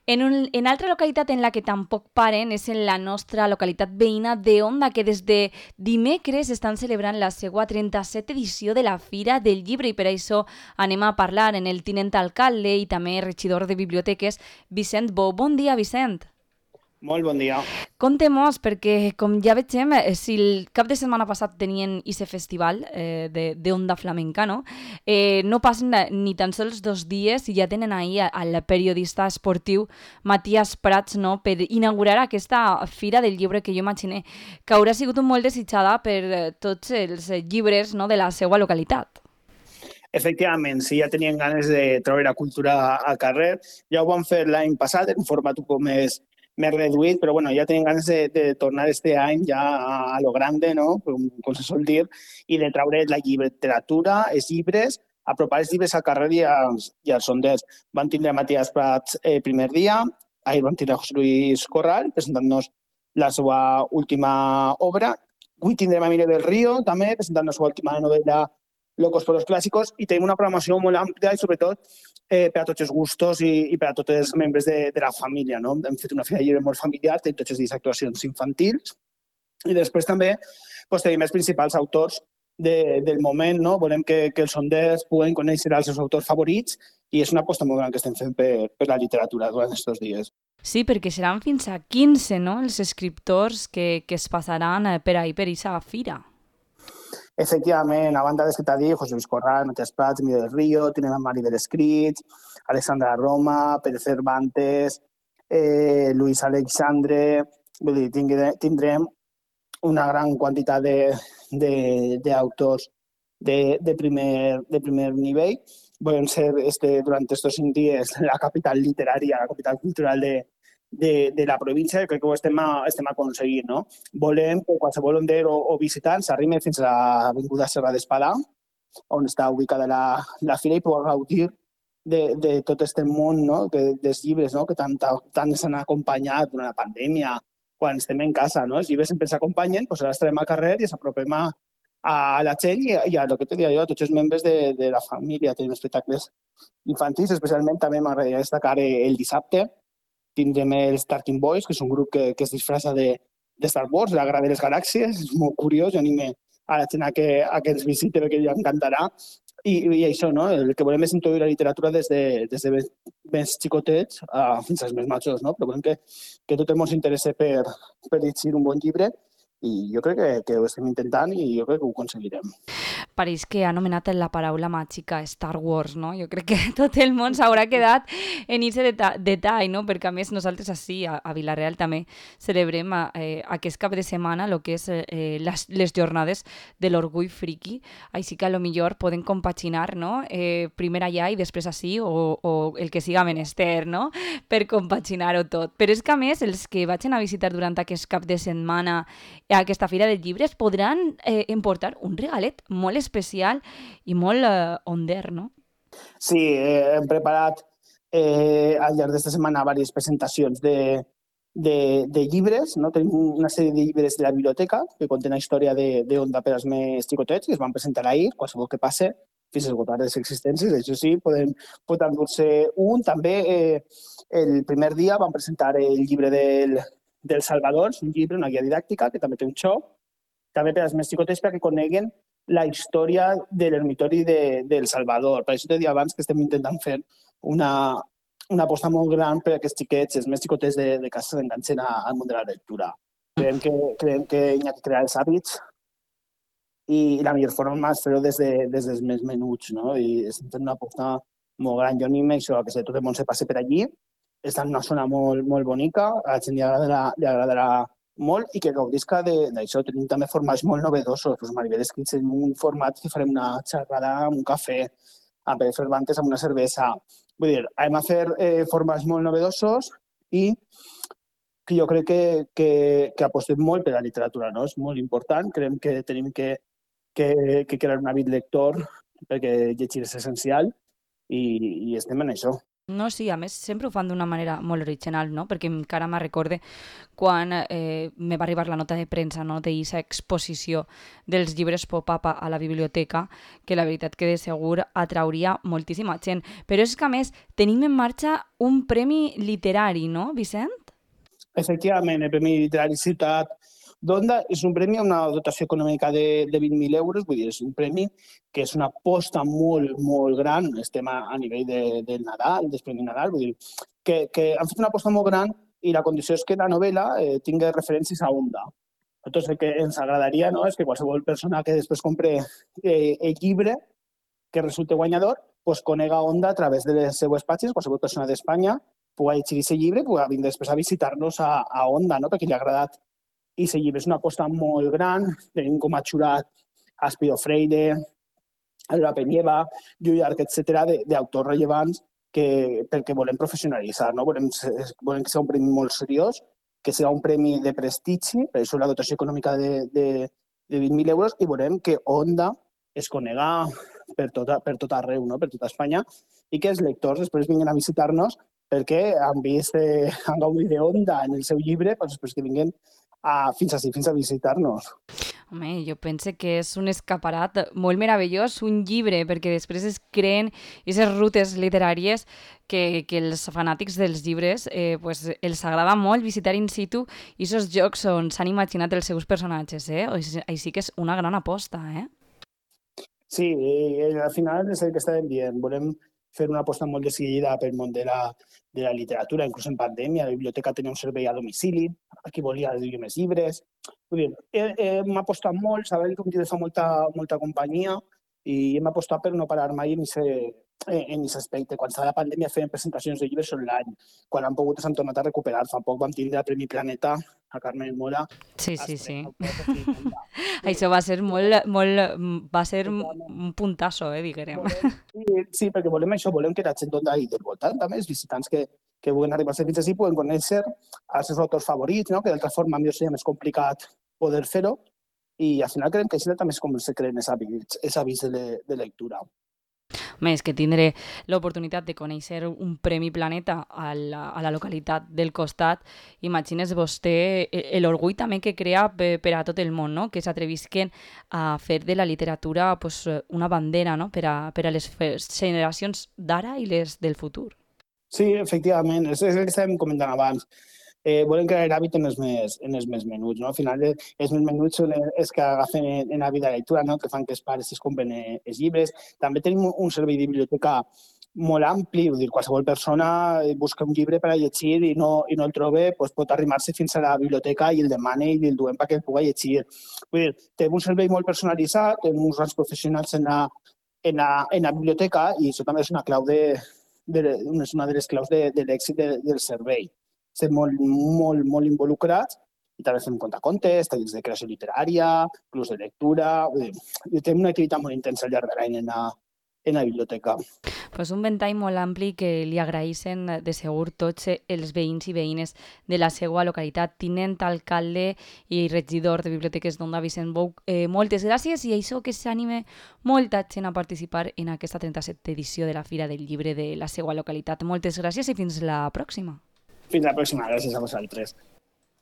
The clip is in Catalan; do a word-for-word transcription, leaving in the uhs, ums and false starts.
En, un, en altra localitat en la que tampoc paren és en la nostra localitat veïna de Onda, que des de dimecres estan celebrant la seva trenta-setena edició de la Fira del Llibre, i per això anem a parlar en el tinent alcalde i també regidor de biblioteques, Vicent Bou. Bon dia, Vicent. Molt bon dia. Contem-nos, perquè com ja vegem, eh, si el cap de setmana passat tenien aquest festival eh, de, de Onda Flamenca, no? Eh, no passen ni tan sols dos dies i ja tenen ahir al periodista esportiu Matías Prats, no?, per inaugurar aquesta fira del llibre que jo imagine que haurà sigut molt desitjada per eh, tots els llibres, no?, de la seva localitat. Efectivament, sí, ja tenien ganes de treure la cultura al carrer. Ja ho vam fer l'any passat en un format un poc més, més reduït, però bueno, ja tenien ganes de, de tornar este any ja a, a lo grande, no?, com, com se sol dir, i de treure la literatura, els llibres, apropar els llibres al carrer i als, i als sonders. Van tindre Matías Prats el eh, primer dia, ahir van tindre José Luis Corral presentant-nos la seva última obra. Avui tindrem a Mire del Río, també, presentant la seva última novel·la Locos por los clàssicos, i tenim una programació molt àmplia i sobretot eh, per a tots els gustos i, i per a tots els membres de, de la família, no? Hem fet una fira de llibre molt familiar, tenim tots els dies actuacions infantils i després també pues, tenim els principals autors de, del moment, no? Volem que, que els sonders puguen conèixer els seus autors favorits i és una aposta molt gran que estem fent per, per la literatura durant aquests dies. Sí, perquè seran fins a quinze, no?, els escriptors que, que es passaran per ahir per aquesta fira. Efectivament, a banda dels que t'ha dit, José Luis Corral, Matías Prats, Miguel del Río, tenim a Maribel Escrits, Alexandra Roma, Pérez Cervantes, eh, Luis Alexandre, vull dir, tindrem una gran quantitat d'autors de, de, de, primer, de primer nivell. Volem ser este, durant aquests cinc dies la capital literària, la capital cultural de, de, de la província, crec que ho estem, a, estem aconseguint, no? Volem que qualsevol onder o, o visitant s'arrimi fins a l'Avinguda Serra d'Espadà, on està ubicada la, la fira, i pugui gaudir de, de tot aquest món, no?, que, dels llibres, no?, que tant, tant ens han acompanyat durant la pandèmia, quan estem en casa, no? Els llibres sempre s'acompanyen, doncs ara estarem al carrer i s'apropem a, a la gent i, i a, el que te deia jo, a tots els membres de, de la família. Tenim espectacles infantils, especialment també m'agradaria destacar el dissabte. Tindrem els Starting Boys, que és un grup que, que es disfressa de, de Star Wars, de la Guerra de les Galàxies. És molt curiós, jo anime a la gent a que, a que ens visite perquè li encantarà. I, i això, no? El que volem és introduir la literatura des de, des de més, més xicotets a, fins als més majors, no? Però volem que, que tot el món s'interessa per, per llegir un bon llibre i jo crec que, que ho estem intentant i jo crec que ho aconseguirem. Pareix que ha anomenat la paraula màgica Star Wars, no? Jo crec que tot el món s'haurà quedat en aquest detall, no? Perquè a més nosaltres així, a, a Vila-real també celebrem eh, aquest cap de setmana el que és eh, les, les jornades de l'orgull friqui, així que a lo millor poden compaginar, no? Eh, primer allà i després així, o, o el que siga menester, no?, per compaginar-ho tot. Però és que a més els que vagin a visitar durant aquest cap de setmana a aquesta fira de llibres podran eh, emportar un regalet molt especial i molt eh, onder, no? Sí, eh, hem preparat eh, al llarg d'esta setmana diverses presentacions de, de, de llibres, no? Tenim una sèrie de llibres de la biblioteca que contenen la història d'Onda per als més xicotets, que es van presentar ahir, qualsevol que passe, fins a esgotar les existències. Això sí, podem, podem endur-se un. També eh, el primer dia van presentar el llibre del, del Salvador, un llibre, una guia didàctica, que també té un xoc, també per als més xicotets perquè coneguen la història de l'ermitori de, del Salvador. Per això t'he dit abans que estem intentant fer una, una aposta molt gran per a aquests xiquets, els més xicotets de, de casa s'enganxen al món de la lectura. Creiem que, creiem que hi ha que crear els hàbits i la millor forma és fer-ho des, de, des dels més menuts, no? I estem fent una aposta molt gran. Jo animo això, que tot el món se passi per allí. Està en una zona molt, molt bonica, a la gent li agradarà, li agradarà molt i que gaudisca d'això. Tenim també formats molt novedosos. Pues Maribel Escrits en un format que farem una xerrada amb un cafè, amb Pérez Cervantes amb una cervesa. Vull dir, hem de fer eh, formats molt novedosos i que jo crec que, que, que apostem molt per la literatura, no? És molt important. Creiem que tenim que, que, que crear un hàbit lector perquè llegir és essencial i, i estem en això. No, sí, a més sempre ho fan d'una manera molt original, no? Perquè encara me recorde quan eh, me va arribar la nota de premsa, no?, d'aquesta exposició dels llibres pop-up a la biblioteca, que la veritat que de segur atrauria moltíssima gent. Però és que a més tenim en marxa un premi literari, no, Vicent? Efectivament, el Premi Literari Ciutat d'Onda és un premi amb una dotació econòmica de, de vint mil euros, vull dir, és un premi que és una aposta molt, molt gran, estem a, a nivell de, del Nadal, del Premi Nadal, vull dir, que, que han fet una aposta molt gran i la condició és que la novel·la eh, tingui referències a Onda. Llavors, el que ens agradaria, no?, és que qualsevol persona que després compre eh, el llibre que resulte guanyador, pues, conega Onda a través de les seues pàgines, qualsevol persona d'Espanya pugui llegir aquest llibre i pugui vindre després a visitar-nos a, a Onda, no?, perquè li ha agradat. I aquest llibre és una aposta molt gran, tenim com a jurat a Espido Freire, Alba Peñeva, Lluís Arc, etcètera, d'autors rellevants que, perquè volem professionalitzar, no? Volem, volem que sigui un premi molt seriós, que sigui un premi de prestigi, per això la dotació econòmica de, de, de vint mil euros, i volem que Onda es conega per tot, per tot arreu, no?, per tota Espanya, i que els lectors després vinguin a visitar-nos perquè han vist, eh, han gaudit d'Onda en el seu llibre, doncs després que vinguin a, fins així, fins a visitar-nos. Home, jo penso que és un escaparat molt meravellós, un llibre, perquè després es creen aquestes rutes literàries que, que els fanàtics dels llibres eh, pues, els agrada molt visitar in situ i aquests jocs on s'han imaginat els seus personatges, eh? Així que és una gran aposta, eh? Sí, i al final és el que estàvem dient. Volem fer una aposta molt decidida pel món de la, de la literatura, inclús en pandèmia. La biblioteca tenia un servei a domicili, a qui volia llegir més llibres. Vull dir, hem apostat molt, sabem que un llibre fa molta, molta companyia i hem apostat per no parar mai en aquest aspecte. Quan estava la pandèmia feien presentacions de llibres online. Quan han pogut s'han tornat a recuperar. Fa poc vam tindre el Premi Planeta a Carmen Mola. Sí, sí, sí. Això va ser molt, molt, va ser un puntasso, eh, diguem. Sí, sí, perquè volem això, volem que la gent d'ahí del voltant, també els visitants que, que vulguin arribar a ser fins així, puguen conèixer els seus autors favorits, no?, que d'altra forma millor seria més complicat poder fer-ho, i al final creiem que així també és com se creen els hàbits de, de lectura. Més que tindré l'oportunitat de conèixer un Premi Planeta a la, a la localitat del costat, imagines vostè l'orgull també que crea per, per a tot el món, no?, que s'atrevisquen a fer de la literatura pues, una bandera, no?, per a, per a les generacions d'ara i les del futur. Sí, efectivament, és, és el que estàvem comentant abans. Eh, volem crear l'hàbit en els més, en els més menuts, no? Al final, els més menuts són els que agafen en l'hàbit de la lectura, no?, que fan que els pares es compren els llibres. També tenim un servei de biblioteca molt ampli, vull dir, qualsevol persona busca un llibre per a llegir i no, i no el troba, doncs pot arrimar-se fins a la biblioteca i el demana i el duem perquè el pugui llegir. Vull dir, tenim un servei molt personalitzat, tenim uns grans professionals en la, en la, en la biblioteca i això també és una clau de, de, és una de les claus de, de l'èxit de, del servei. Estem molt, molt, molt involucrats i també fem contacontes, tallers de creació literària, clubs de lectura. I tenim una activitat molt intensa al llarg de l'any en, la, en la biblioteca. Pues un ventall molt ampli que li agraeixen de segur tots els veïns i veïnes de la seva localitat. Tinent alcalde i regidor de Biblioteques d'Onda, Vicent Bou, eh, moltes gràcies i això que s'anime molta gent a participar en aquesta trenta-setena edició de la Fira del Llibre de la seva localitat. Moltes gràcies i fins la pròxima. Fins la pròxima. Gràcies a vosaltres.